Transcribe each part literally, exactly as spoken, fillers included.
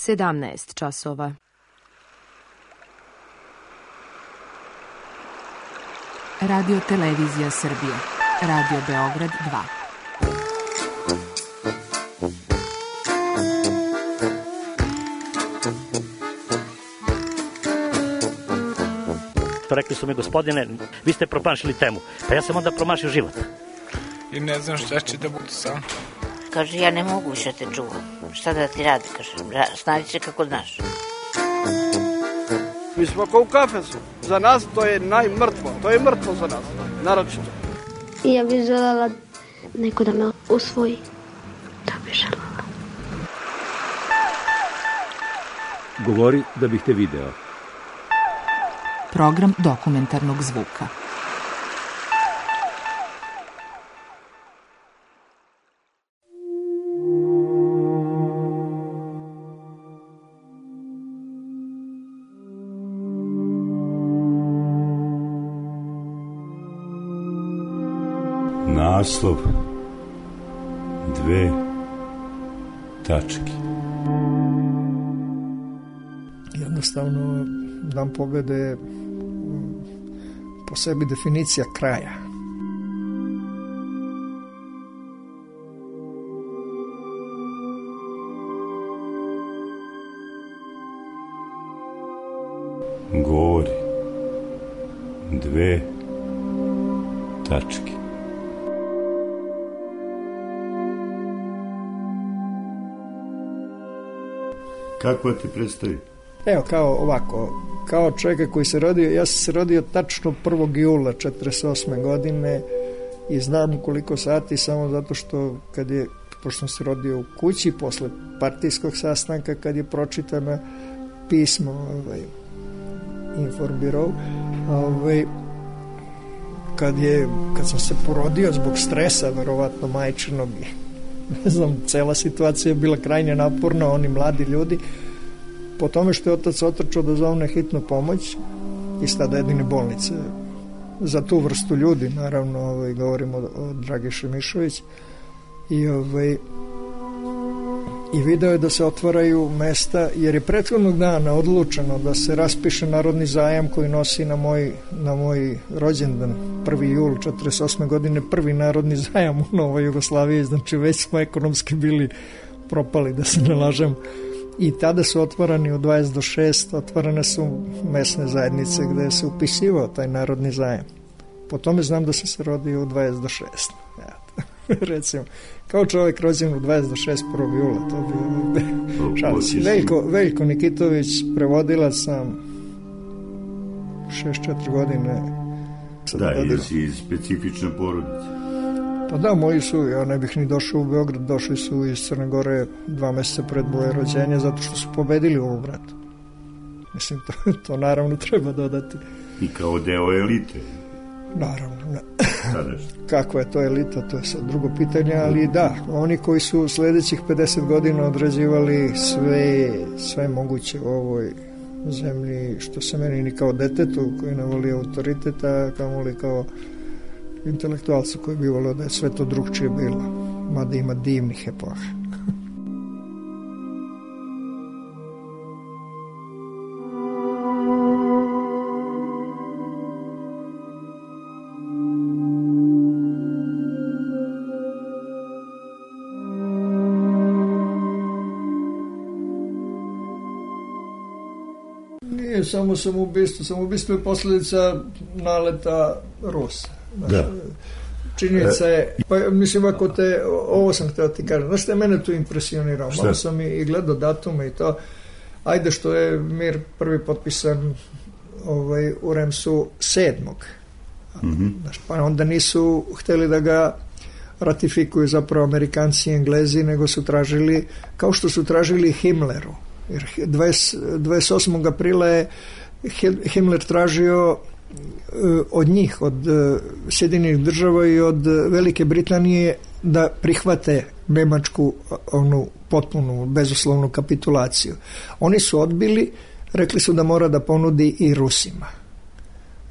sedamnaest časova. Radio Televizija Srbije. Radio Beograd dva. Rekli su mi, gospodine, vi ste promašili temu. Pa ja sam onda promašio život. I ne znam šta će da bude sam. Kaže, ja ne mogu više te čuvam. Šta da ti radi, kaže, snađi se kako znaš. Mi smo kao u kafesu. Za nas to je najmrtvo. To je mrtvo za nas, naročito. I ja bih željela neko da me usvoji. To bih željela. Govori da bih te video. Program dokumentarnog zvuka. Naslov dve tačke. Jednostavno, Dan pobjede je po sebi definicija kraja. Govori dve tačke. Kako ti predstavi? Evo, kao ovako, kao čovjeka koji se rodio, ja sam se rodio tačno prvog jula četrdeset osme godine i znam koliko sati samo zato što kad je, pošto sam se rodio u kući posle partijskog sastanka, kad je pročitano pismo ovaj, Informbirou, ovaj, kad je, kad sam se porodio zbog stresa, verovatno majčinog, ne znam, cela situacija je bila krajnje naporna, oni mladi ljudi, po tome što je otac otrčao da zovne hitnu pomoć iz tada jedine bolnice za tu vrstu ljudi, naravno ovaj, govorimo o, o Dragiši Mišović i, ovaj, i video je da se otvaraju mesta, jer je prethodnog dana odlučeno da se raspiše narodni zajam koji nosi na moj, na moj rođendan prvi jul četrdeset osme godine prvi narodni zajam u Novoj Jugoslaviji, znači već smo ekonomski bili propali, da se ne lažem. I tada su otvarani u dvadeset do šest, otvarane su mesne zajednice gde se upisivao taj narodni zajam. Po tome znam da sam se rodio u dvadeset do šest. Recimo, kao čovjek rođen u dvadeset do šest prvog jula, to bi šalici. Veljko, Veljko Nikitović, prevodilac sam šest četiri godine. Da, jer si iz specifične porodice. Pa da, moji su, ja ne bih ni došao u Beograd, došli su iz Crne Gore dva meseca pred moje rođenje zato što su pobedili u ovom ratu. Mislim, to, to naravno treba dodati. I kao deo elite. Naravno, ne. Kakva je to elita, to je sad drugo pitanje, ali da, oni koji su sledećih pedeset godina odrađivali sve, sve moguće u ovoj zemlji, što se meni ni kao detetu koji ne voli autoriteta, kao li kao intelektualcu koji bi volio da je sve to drugčije bilo, mada ima divnih epoha. Nije samo samoubistvo, samoubistvo je posljedica naleta Rusa. Da. Činjenica je, pa mislim ako te, ovo sam htio ti kažem, znaš što je mene tu impresionirao, malo sam i gledao datume i to, ajde što je mir prvi potpisan ovaj, u Remsu sedmog Mm-hmm. Znaš, pa onda nisu hteli da ga ratifikuju zapravo Amerikanci i Englezi, nego su tražili, kao što su tražili Himmleru, jer dvadeset osmog aprila je Himmler tražio od njih, od Sjedinjenih država i od Velike Britanije da prihvate Nemačku onu potpunu bezuslovnu kapitulaciju. Oni su odbili, rekli su da mora da ponudi i Rusima.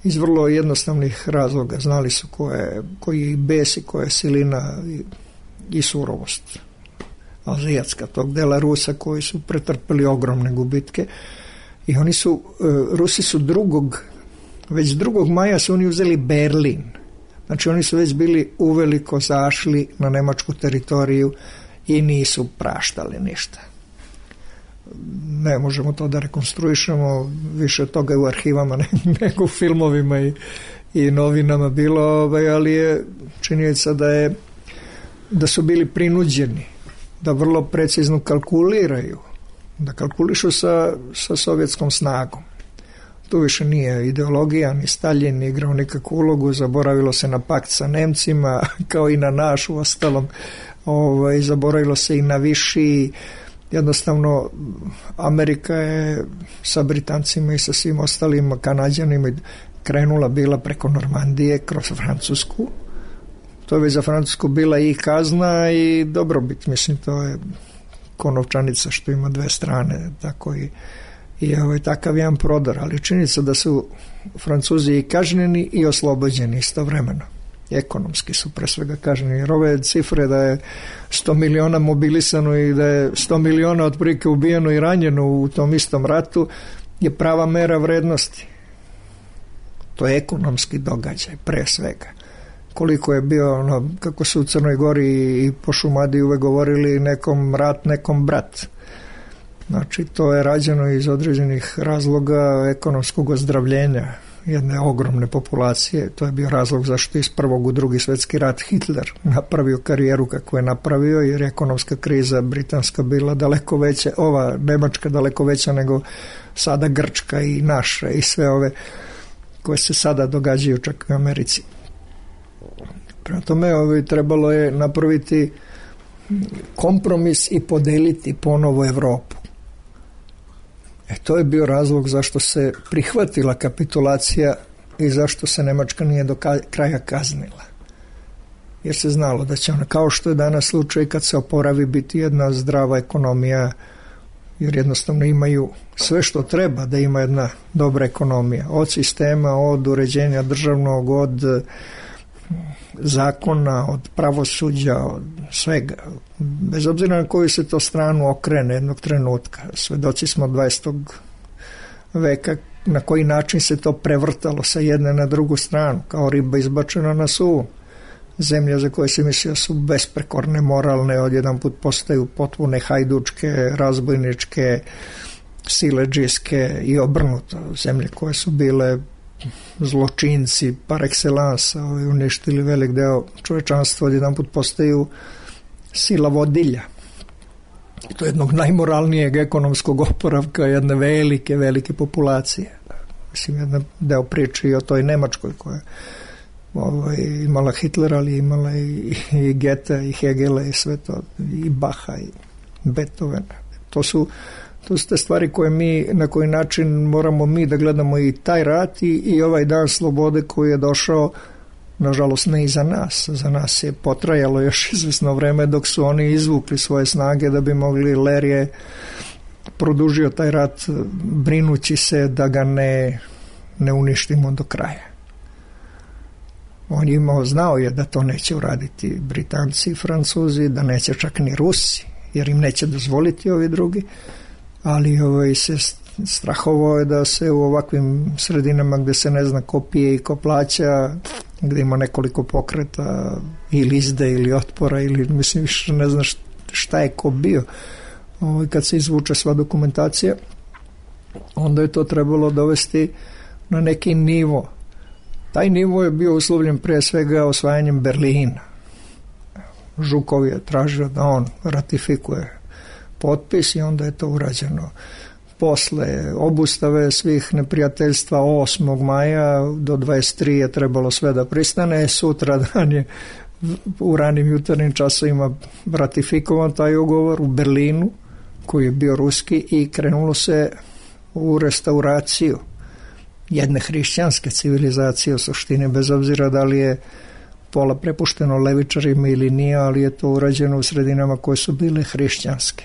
Iz vrlo jednostavnih razloga. Znali su ko je, koji je bes i koja je silina i, i surovost azijatska, tog dela Rusa koji su pretrpeli ogromne gubitke. I oni su, Rusi su drugog, već drugog maja su oni uzeli Berlin. Znači oni su već bili uveliko zašli na nemačku teritoriju i nisu praštali ništa. Ne možemo to da rekonstruišemo, više toga je u arhivama nego u filmovima i, i novinama bilo, ali je činjenica da je da su bili prinuđeni da vrlo precizno kalkuliraju, da kalkulišu sa, sa sovjetskom snagom. Tu više nije ideologija, ni Stalin nije igrao nikakvu ulogu, zaboravilo se na pakt sa Nemcima, kao i na naš u ostalom, ovaj, zaboravilo se i na viši. Jednostavno, Amerika je sa Britancima i sa svim ostalim Kanađanima krenula bila preko Normandije kroz Francusku. To je već za Francusku bila i kazna i dobrobit, mislim, to je ko novčanica što ima dve strane, tako i, i ovaj, takav jedan prodor, ali činjenica da su Francuzi i kažnjeni i oslobođeni istovremeno. Ekonomski su pre svega kažnjeni, jer ove cifre da je sto miliona mobilisano i da je sto miliona otprilike ubijeno i ranjeno u tom istom ratu je prava mera vrednosti. To je ekonomski događaj pre svega. Koliko je bio, ono, kako su u Crnoj Gori i po Šumadiji uvek govorili, nekom rat, nekom brat. Znači, to je rađeno iz određenih razloga ekonomskog ozdravljenja jedne ogromne populacije. To je bio razlog zašto iz prvog u drugi svjetski rat Hitler napravio karijeru kako je napravio, jer je ekonomska kriza britanska bila daleko veća, ova nemačka daleko veća nego sada Grčka i naša i sve ove koje se sada događaju čak u Americi. Prema tome, ovaj, trebalo je napraviti kompromis i podeliti ponovo Evropu. E, to je bio razlog zašto se prihvatila kapitulacija i zašto se Nemačka nije do kraja kaznila. Jer se znalo da će ona, kao što je danas slučaj kad se oporavi, biti jedna zdrava ekonomija, jer jednostavno imaju sve što treba da ima jedna dobra ekonomija. Od sistema, od uređenja državnog, od zakona, od pravosuđa, od svega. Bez obzira na koju se to stranu okrene jednog trenutka. Svedoci smo dvadesetog veka na koji način se to prevrtalo sa jedne na drugu stranu, kao riba izbačena na suvu. Zemlje za koje se mislio su besprekorne, moralne, odjedan put postaju potpune hajdučke, razbojničke, siledžijske i obrnuto. Zemlje koje su bile zločinci par excellence, uništili velik deo čovečanstva, odjedan put postaju sila vodilja. I to je jednog najmoralnijeg ekonomskog oporavka jedne velike, velike populacije. Mislim, jedan deo priče i o toj Nemačkoj koja ovaj, imala Hitlera, ali imala i, i Goethe, i Hegela, i sve to, i Bacha, i Beethovena. To su To su te stvari koje mi, na koji način moramo mi da gledamo i taj rat i, i ovaj dan slobode koji je došao, nažalost ne i za nas. Za nas je potrajalo još izvesno vreme dok su oni izvukli svoje snage da bi mogli. Ler je produžio taj rat brinući se da ga ne, ne uništimo do kraja. On je imao, znao je da to neće uraditi Britanci i Francuzi, da neće čak ni Rusi, jer im neće dozvoliti ovi drugi, ali ovaj, se strahovao je da se u ovakvim sredinama gde se ne zna ko pije i ko plaća, gde ima nekoliko pokreta ili izde ili otpora ili mislim više ne zna šta je ko bio, ovaj, kad se izvuče sva dokumentacija, onda je to trebalo dovesti na neki nivo. Taj nivo je bio uslovljen prije svega osvajanjem Berlina. Žukov je tražio da on ratifikuje potpis i onda je to urađeno. Posle obustave svih neprijateljstva osmog maja do dvadeset tri je trebalo sve da pristane. Sutra dan je u ranim jutarnjim časovima ratifikovan taj ugovor u Berlinu, koji je bio ruski, i krenulo se u restauraciju jedne hrišćanske civilizacije u suštini, bez obzira da li je pola prepušteno levičarima ili nije, ali je to urađeno u sredinama koje su bile hrišćanske.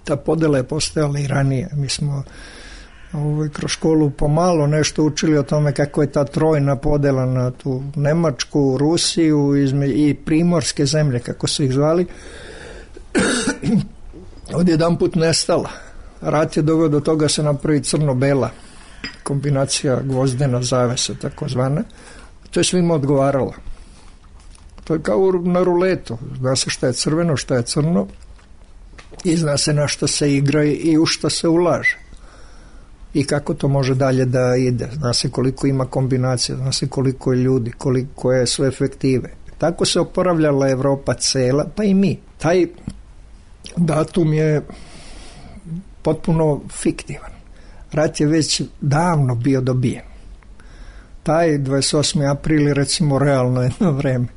Ta podela je postojala i ranije. Mi smo ovaj, kroz školu pomalo nešto učili o tome kako je ta trojna podela na tu Nemačku, Rusiju izme, i primorske zemlje, kako su ih zvali, odjedan put nestala. Rat je doveo do toga se napravi crno-bela kombinacija gvozdena zavesa takozvana. To je svima odgovaralo. To je kao na ruletu. Zna se šta je crveno, šta je crno i zna se na šta se igra i u šta se ulaže. I kako to može dalje da ide. Zna se koliko ima kombinacija, zna se koliko je ljudi, koliko je su efektive. Tako se oporavljala Evropa cela, pa i mi. Taj datum je potpuno fiktivan. Rat je već davno bio dobijen. Taj dvadeset osmi april je recimo realno jedno vreme.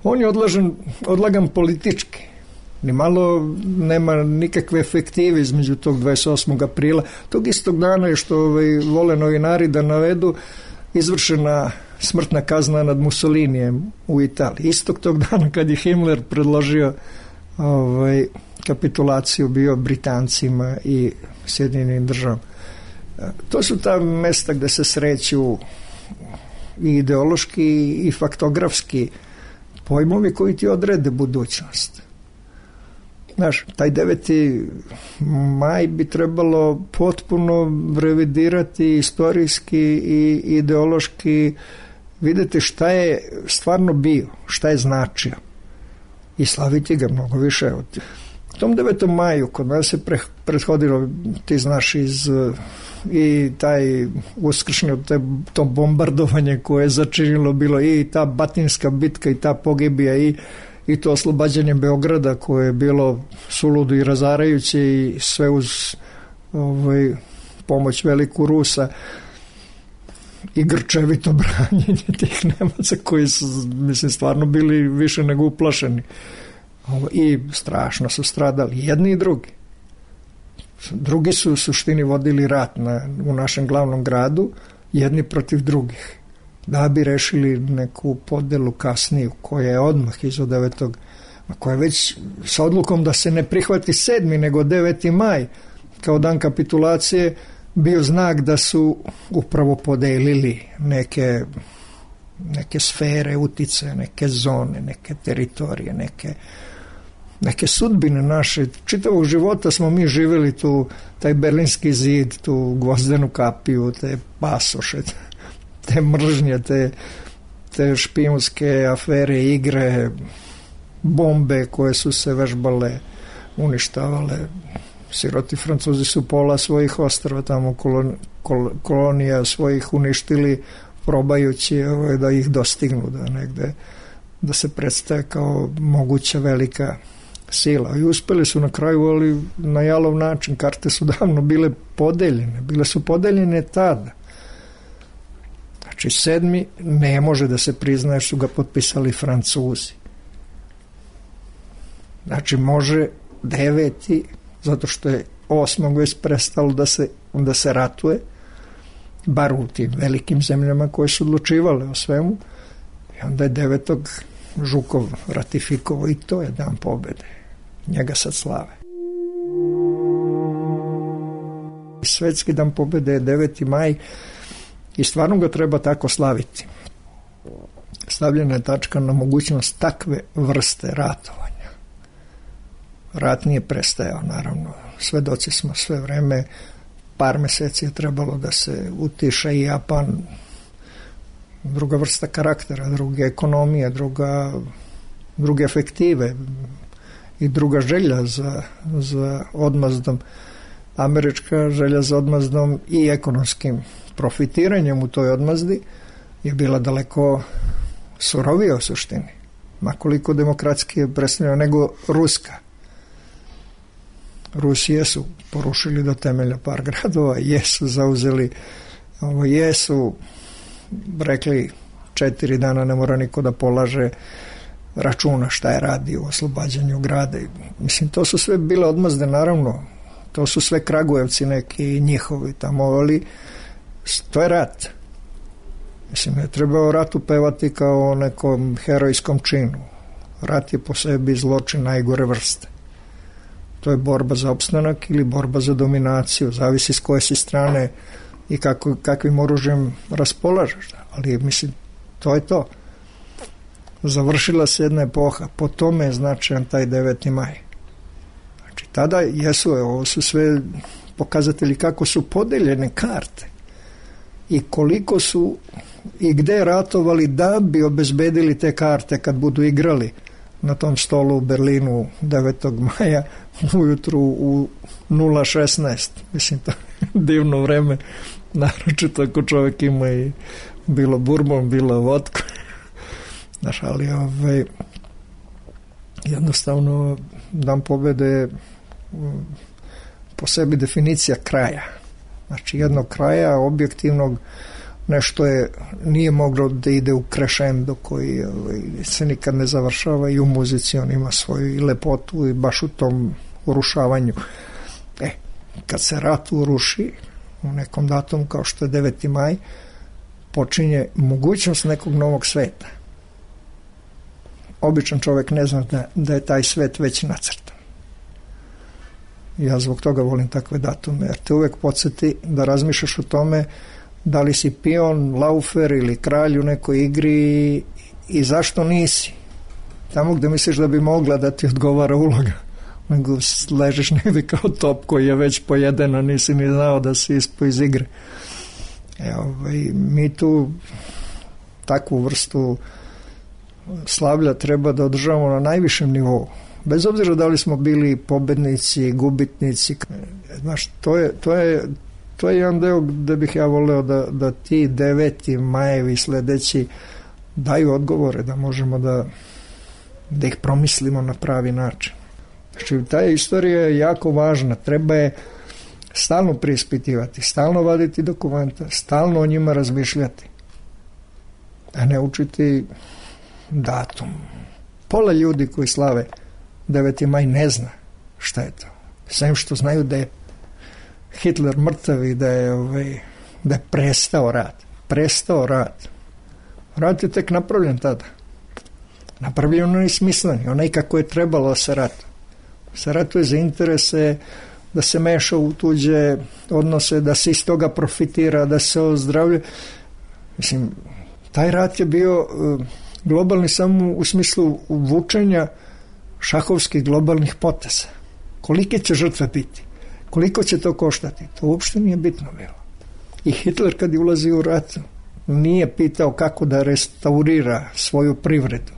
On je odlažen, odlagan politički. Ni malo nema nikakve efektive između tog dvadeset osmog aprila. Tog istog dana je što ovaj, vole novinari da navedu izvršena smrtna kazna nad Mussolinijem u Italiji. Istog tog dana kad je Himmler predložio ovaj, kapitulaciju bio Britancima i Sjedinjenim državama. To su ta mesta gde se sreću i ideološki i faktografski pojmovi koji ti odrede budućnost. Znaš, taj deveti maj bi trebalo potpuno revidirati istorijski i ideološki, videti šta je stvarno bio, šta je značio i slaviti ga mnogo više. U tom devetom maju kod nas se pre, prethodilo, ti znaš, iz i taj uskršnjo to bombardovanje koje je začinilo bilo i ta Batinska bitka i ta pogibija i, i to oslobađanje Beograda koje je bilo suludo i razarajuće i sve uz ovaj, pomoć veliku Rusa i grčevito branjenje tih Nemaca koji su, mislim, stvarno bili više nego uplašeni i strašno su stradali jedni i drugi. Drugi su u suštini vodili rat na, u našem glavnom gradu, jedni protiv drugih, da bi rešili neku podelu kasniju, koja je odmah iza devetog, koja je već sa odlukom da se ne prihvati sedmi nego deveti maj, kao dan kapitulacije, bio znak da su upravo podelili neke, neke sfere uticaja, neke zone, neke teritorije, neke neke sudbine naše, čitavog života smo mi živjeli tu, taj Berlinski zid, tu gvozdenu kapiju, te pasoše, te mržnje, te, te špijunske afere, igre, bombe koje su se vežbale, uništavale. Siroti Francuzi su pola svojih ostrva tamo kolon, kol, kolonija svojih uništili, probajući ovaj, da ih dostignu, da negde da se predstave kao moguća velika sila. I uspeli su na kraju, ali na jalov način. Karte su davno bile podeljene. Bile su podeljene tada. Znači, sedmi ne može da se priznaje što su ga potpisali Francuzi. Znači, može deveti, zato što je osmog već prestalo da se, da se ratuje, bar u tim velikim zemljama koje su odlučivale o svemu. I onda je devetog Žukov ratifikovao i to je dan pobede. Njega sad slave. Svetski dan pobede je deveti maj i stvarno ga treba tako slaviti. Stavljena je tačka na mogućnost takve vrste ratovanja. Rat nije prestajao, naravno. Svedoci smo sve vreme. Par meseci je trebalo da se utiša i Japan. Druga vrsta karaktera, druge ekonomije, druga, druge efektive i druga želja za, za odmazdom. Američka želja za odmazdom i ekonomskim profitiranjem u toj odmazdi je bila daleko surovija u suštini. Makoliko demokratski je predstavljeno nego ruska. Rusi jesu porušili do temelja par gradova, jesu zauzeli, ovo, jesu rekli četiri dana ne mora niko da polaže računa šta je radi u oslobađanju grada. Mislim, to su sve bile odmazde, naravno. To su sve Kragujevci neki njihovi tamo, ali to je rat. Mislim, ne treba o ratu pevati kao o nekom herojskom činu. Rat je po sebi zločin najgore vrste. To je borba za opstanak ili borba za dominaciju. Zavisi s koje si strane i kako, kakvim oružjem raspolažeš. Ali, mislim, to je to. Završila se jedna epoha. Po tome je značajan taj deveti maj. Znači, tada jesu, ovo su sve pokazatelji kako su podeljene karte i koliko su i gde ratovali da bi obezbedili te karte kad budu igrali na tom stolu u Berlinu devetog maja ujutru u nula šesnaest. Mislim, to je divno vreme, naročito ako čovjek ima i bilo bourbon, bilo vodku. Znaš, ali ovaj, jednostavno Dan pobede je po sebi definicija kraja. Znači jednog kraja objektivnog, nešto je, nije moglo da ide u krešendo koji ovaj, se nikad ne završava i u muzici on ima svoju i lepotu i baš u tom urušavanju. E, kad se rat uruši u nekom datumu kao što je deveti maj, počinje mogućnost nekog novog sveta. Običan čovjek ne zna da, da je taj svet već nacrtan. Ja zbog toga volim takve datume, jer te uvek podsjeti da razmišljaš o tome da li si pion, laufer ili kralj u nekoj igri i zašto nisi. Tamo gde misliš da bi mogla da ti odgovara uloga, nego ležeš negdje kao top koji je već pojeden, a nisi ni znao da si ispo iz igre. E, ovaj, mi tu takvu vrstu slavlja treba da održavamo na najvišem nivou. Bez obzira da li smo bili pobednici, gubitnici. Znaš, to je, to je, to je jedan deo gde bih ja voleo da, da ti deveti majevi sledeći daju odgovore, da možemo da, da ih promislimo na pravi način. Znači, ta istorija je jako važna. Treba je stalno preispitivati, stalno vaditi dokumenta, stalno o njima razmišljati, a ne učiti datum. Pola ljudi koji slave deveti maj ne zna šta je to. Sem što znaju da je Hitler mrtav i da je, ovaj, da je prestao rat. Prestao rat. Rat je tek napravljen tada. Napravljen onaj smisleni, onaj kako je trebalo se ratu. Se ratuje za interese, da se meša u tuđe odnose, da se iz toga profitira, da se ozdravlja. Mislim, taj rat je bio globalni samo u smislu vučenja šahovskih globalnih poteza. Kolike će žrtve biti? Koliko će to koštati? To uopšte nije bitno bilo. I Hitler kad je ulazi u rat nije pitao kako da restaurira svoju privredu.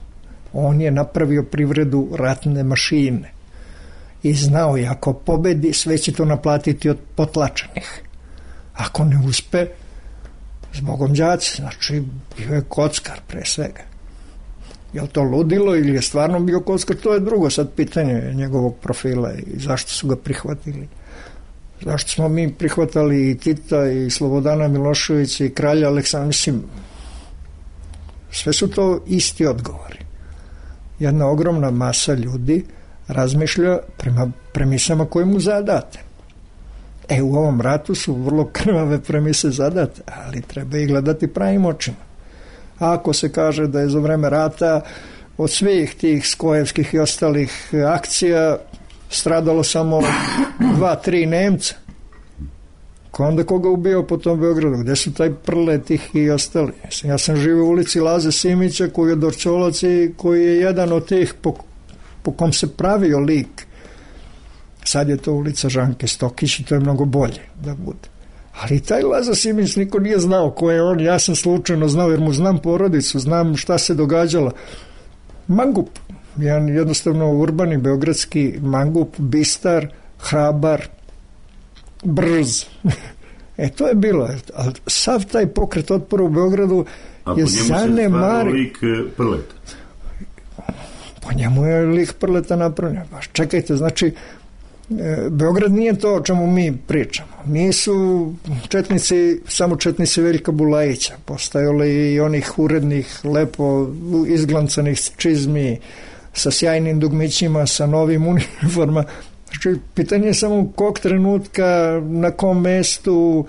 On je napravio privredu ratne mašine. I znao je, ako pobedi, sve će to naplatiti od potlačenih. Ako ne uspe, zbogom đaci, znači bio je kockar pre svega. Je li to ludilo ili je stvarno bio kockar, to je drugo sad pitanje njegovog profila i zašto su ga prihvatili. Zašto smo mi prihvatali i Tita i Slobodana Miloševića i kralja Aleksandra, mislim, sve su to isti odgovori. Jedna ogromna masa ljudi razmišlja prema premisama koje mu zadate. E, u ovom ratu su vrlo krvave premise zadate, ali treba ih gledati pravim očima. A ako se kaže da je za vreme rata od svih tih skojevskih i ostalih akcija stradalo samo dva, tri Nemca, ko onda koga ubio po tom Beogradu? Gde su taj Prletih i ostali? Ja sam živio u ulici Laze Simića koji je Dorčolac i koji je jedan od tih po, po kom se pravio lik. Sad je to ulica Žanke Stokić i to je mnogo bolje da bude. Ali taj Laza Simić niko nije znao ko je on, ja sam slučajno znao jer mu znam porodicu, znam šta se događalo. Mangup, jedan jednostavno urbani beogradski mangup, bistar, hrabar, brz. E, to je bilo. Ali sav taj pokret otpora u Beogradu a je zanemari. A po njemu se lik Prleta? Po njemu je lik Prleta napravljen. Baš čekajte, znači Beograd nije to o čemu mi pričamo. Nisu četnici, samo četnici Veljka Bulajića. Postajali i onih urednih, lepo izglancanih čizmi sa sjajnim dugmićima, sa novim uniforma. Znači, pitanje je samo kog trenutka, na kom mestu,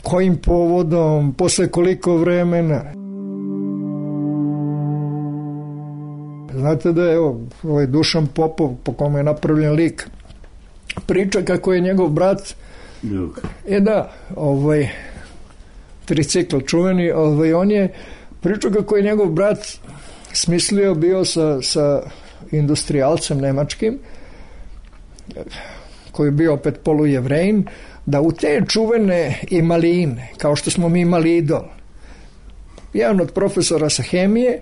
kojim povodom, posle koliko vremena. Znate da je evo, ovaj Dušan Popov, po kome je napravljen lik, priča kako je njegov brat, e da, ovaj, tricikl čuveni, ovaj, on je pričao kako je njegov brat smislio bio sa, sa industrijalcem nemačkim koji je bio opet polujevrejin, da u te čuvene imaline, kao što smo mi imali idol, jedan od profesora sa hemije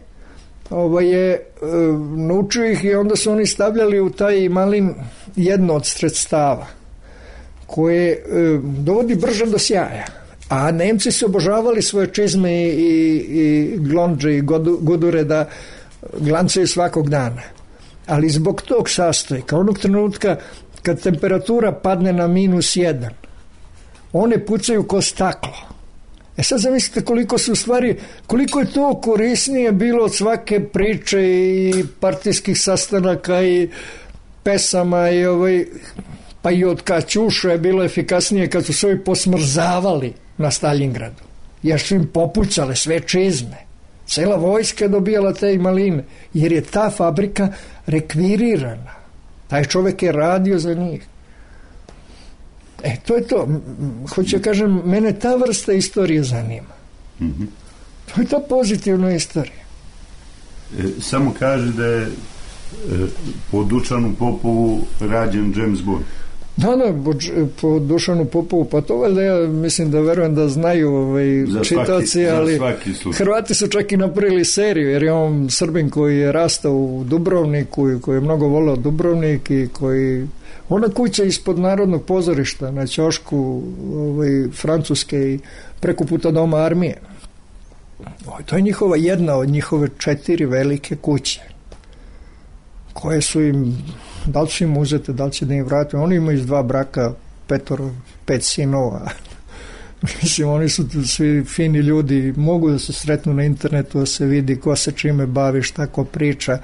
ovaj je e, naučio ih i onda su oni stavljali u taj imalin jedno od sredstava koje e, dovodi brže do sjaja. A Nemci su obožavali svoje čizme i, i glonđe i gudure da glancaju svakog dana. Ali zbog tog sastojka, onog trenutka kad temperatura padne na minus jedan, one pucaju ko staklo. E sad zamislite koliko su u stvari, koliko je to korisnije bilo od svake priče i partijskih sastanaka i pesama i ovaj, pa i od Kaćuša je bilo efikasnije kad su se ovi posmrzavali na Staljingradu, jer su im popucale sve čizme. Cela vojska je dobijala te imaline, jer je ta fabrika rekvirirana. Taj čovek je radio za njih. E, to je to. Hoću da kažem, mene ta vrsta istorije zanima. Mm-hmm. To je ta pozitivna istorija. E, samo kaže da je e, po Dušanu Popovu rađen James Bond. Da, da, po Dušanu Popovu, pa to valjda ja mislim da verujem da znaju ovaj, čitaoci, ali Hrvati su čak i napravili seriju, jer je on Srbin koji je rastao u Dubrovniku i koji je mnogo voleo Dubrovnik i koji, ona kuća ispod Narodnog pozorišta na ćošku ovaj, Francuske i preko puta Doma armije. O, to je njihova jedna od njihove četiri velike kuće koje su im, da li su im uzete, da li će da im vrate. Oni imaju iz dva braka petoro, pet sinova. Mislim, oni su svi fini ljudi, mogu da se sretnu na internetu, da se vidi ko se čime bavi, šta ko priča.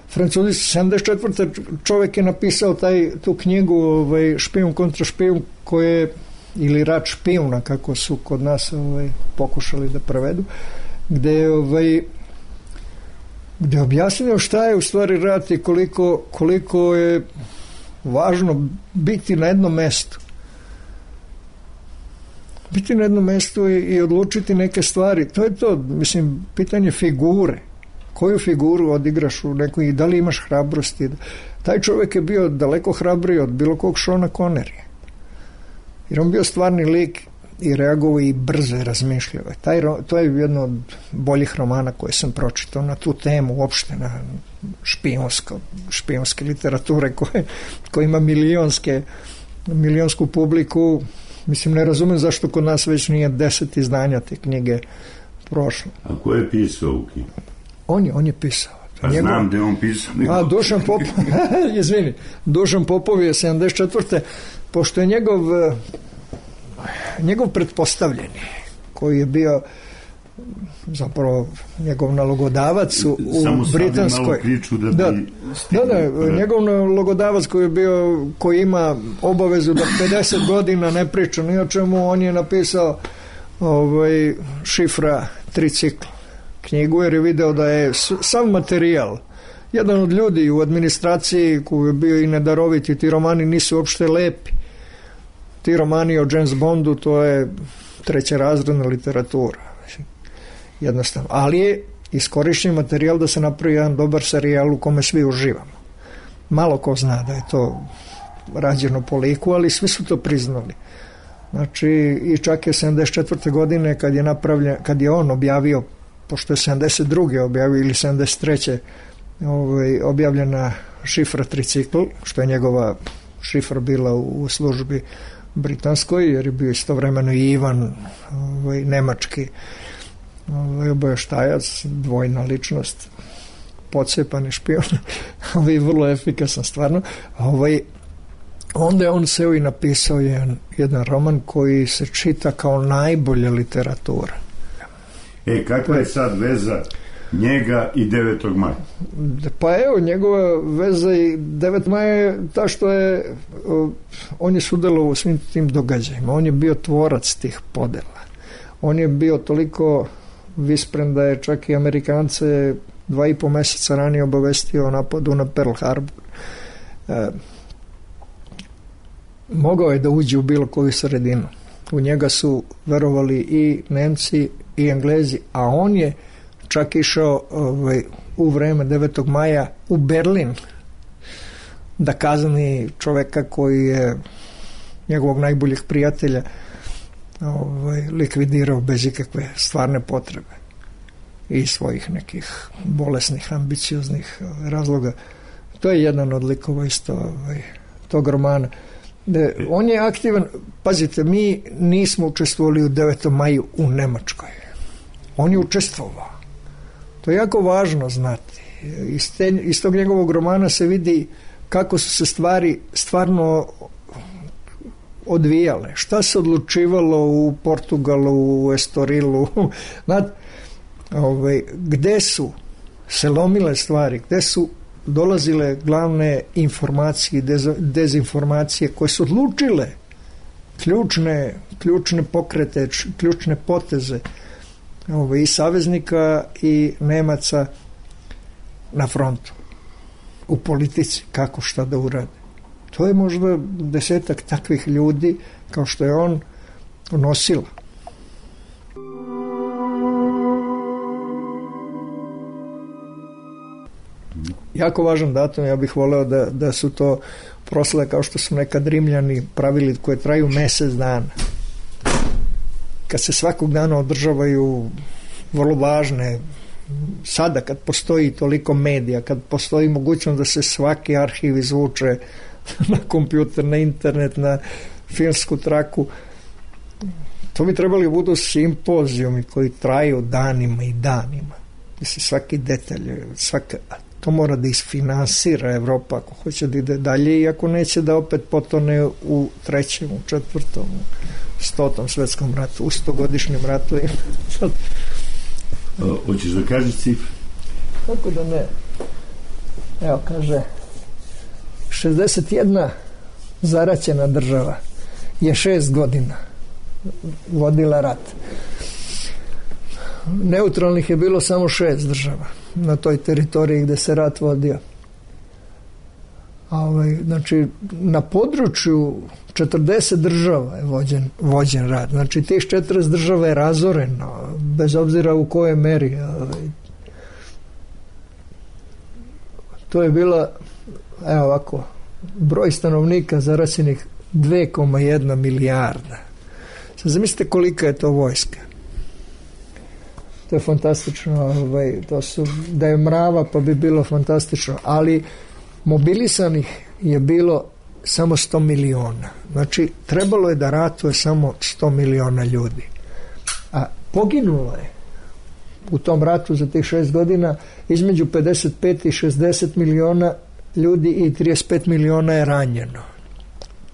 Francuzi su sedamdeset četvrte čovjek je napisao taj, tu knjigu ovaj, Špijun kontra špijun, koje, ili rat špijuna, kako su kod nas ovaj, pokušali da prevedu, gde je ovaj, gde je objasnio šta je u stvari rat i koliko, koliko je važno biti na jednom mestu. Biti na jednom mestu i, i odlučiti neke stvari. To je to, mislim, pitanje figure. Koju figuru odigraš u nekoj i da li imaš hrabrosti. Taj čovjek je bio daleko hrabriji od bilo kog Šona Connerija. Jer on bio stvarni lik i reagovao i brzo je razmišljao. Taj, to je jedno od boljih romana koje sam pročitao na tu temu, uopšte na špijunsko, špijunske literature koje, koje ima milionske, milionsku publiku. Mislim, ne razumem zašto kod nas već nije deset izdanja te knjige prošlo. A ko je pisao u knjigu? On je, on je pisao. Pa njegov... znam da je on pisao. Nego... A, Dušan Popov, izvini, Dušan Popov je sedamdeset četvrte pošto je njegov njegov pretpostavljeni, koji je bio zapravo njegov nalogodavac u, u Samo Britanskoj. Da, da, da, da, njegov nalogodavac koji je bio, koji ima obavezu da pedeset godina ne priča ni o čemu, on je napisao ovaj, šifra tricikl knjigu, jer je video da je sam materijal, jedan od ljudi u administraciji koji je bio i nedaroviti, ti romani nisu uopšte lepi. Ti romani o James Bondu, to je trećerazredna literatura. Jednostavno. Ali je iskorišćen materijal da se napravi jedan dobar serijal u kome svi uživamo. Malo ko zna da je to rađeno po liku, ali svi su to priznali. Znači, i čak je sedamdeset četvrte godine kad je napravljen, kad je on objavio, pošto je sedamdeset druge objavio ili sedamdeset treće ovaj, objavljena šifra tricikl, što je njegova šifra bila u, u službi britanskoj, jer je bio istovremeno i Ivan, ovaj, nemački ovaj, obaveštajac, dvojna ličnost, pocepani špion, ovaj, vrlo efikasan stvarno. Ovaj, onda je on seo i napisao jedan, jedan roman koji se čita kao najbolja literatura. E, kakva je sad veza njega i devetog maja? Pa evo, njegova veza i devetog maja je ta što je on je sudelovao u svim tim događajima. On je bio tvorac tih podela. On je bio toliko vispren da je čak i Amerikance dva i po meseca ranije obavestio o napadu na Pearl Harbor. E, mogao je da uđe u bilo koju sredinu. U njega su verovali i Nemci i Englezi, a on je čak išao ovaj, u vreme devetog maja u Berlin da kazni čoveka koji je njegovog najboljeg prijatelja ovaj, likvidirao bez ikakve stvarne potrebe i svojih nekih bolesnih, ambicioznih razloga. To je jedan od likova isto ovaj, tog romana. De, on je aktivan, pazite, mi nismo učestvovali u devetom maju u Nemačkoj. On je učestvovao. To je jako važno znati. Iz, te, iz tog njegovog romana se vidi kako su se stvari stvarno odvijale. Šta se odlučivalo u Portugalu, u Estorilu, znate, ovaj, gde su se lomile stvari, gde su dolazile glavne informacije i dez, dezinformacije koje su odlučile ključne, ključne pokrete, ključne poteze ovaj, i saveznika i Nemaca na frontu, u politici, kako šta da urade. To je možda desetak takvih ljudi kao što je on nosila. Jako važan datum, ja bih voleo da, da su to proslave kao što su nekad Rimljani pravili, koje traju mesec dana. Kad se svakog dana održavaju vrlo važne, sada kad postoji toliko medija, kad postoji mogućnost da se svaki arhiv izvuče na kompjuter, na internet, na filmsku traku, to bi trebali budu simpozijumi koji traju danima i danima. Mislim, svaki detalj, svaka, to mora da isfinansira Evropa ako hoće da ide dalje i ako neće da opet potone u trećem, u četvrtom, u stotom svetskom ratu, u stogodišnjem ratu. Hoćeš da kažeš cifre? Kako da ne? Evo, kaže, šezdeset jedna zaraćena država je šest godina vodila rat. Neutralnih je bilo samo šest država na toj teritoriji gde se rat vodio. A ovaj, znači, na području četrdeset država je vođen, vođen rat. Znači, tih četrdeset država je razoreno, bez obzira u kojoj meri. Ovaj. To je bila, evo ovako, broj stanovnika zaraćenih dve zarez jedna milijarda. Sad zamislite kolika je to vojska. To je fantastično, ovaj, to su, da je mrava pa bi bilo fantastično, ali mobilisanih je bilo samo sto miliona. Znači, trebalo je da ratuje samo sto miliona ljudi. A poginulo je u tom ratu za tih šest godina između pedeset pet i šezdeset miliona ljudi i trideset pet miliona je ranjeno.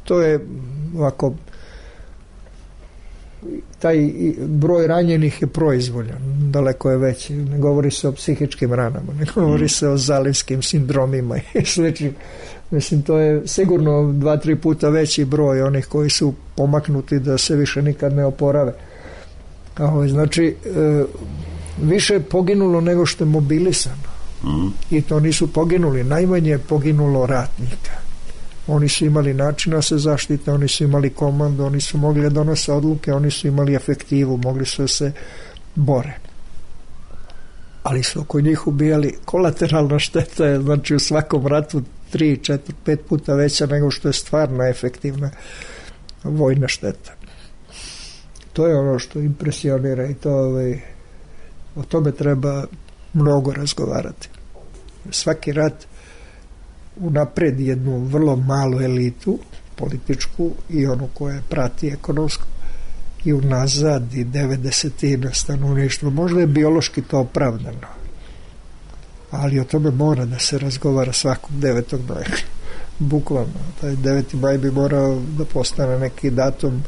To je ovako, taj broj ranjenih je proizvoljan, daleko je veći. Ne govori se o psihičkim ranama, ne govori se o zalivskim sindromima i sličnim. Mislim, to je sigurno dva, tri puta veći broj onih koji su pomaknuti da se više nikad ne oporave. Ovo, znači, e, više je poginulo nego što je mobilisano. Mm. I to nisu poginuli. Najmanje je poginulo ratnika. Oni su imali načina se zaštite, oni su imali komandu, oni su mogli da donose odluke, oni su imali efektivu, mogli su da se bore. Ali su oko njih ubijali. Kolateralna šteta je, znači, u svakom ratu tri, četiri, pet puta veća nego što je stvarno efektivna vojna šteta. To je ono što impresionira i to, ovaj, o tome treba mnogo razgovarati. Svaki rat unapred jednu vrlo malu elitu političku i onu koja prati ekonomsku i unazad i devedesetina stanovništva. Možda je biološki to opravdano, ali o tome mora da se razgovara svakog devetog maja. Bukvalno, taj deveti maj bi morao da postane neki datum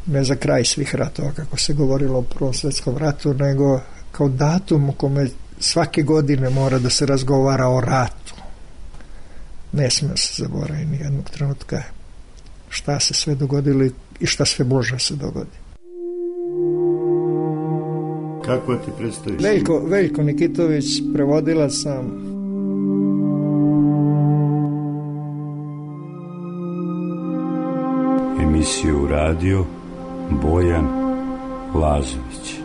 ne za kraj svih ratova, kako se govorilo o Prvom svetskom ratu, nego kao datum u kome svake godine mora da se razgovara o ratu. Ne smije se zaboraviti ni jednog trenutka šta se sve dogodilo i šta sve može se dogoditi. Kako ti predstaviš? Veljko, Veljko Nikitović, prevodila sam. Emisiju radio Bojan Lazović.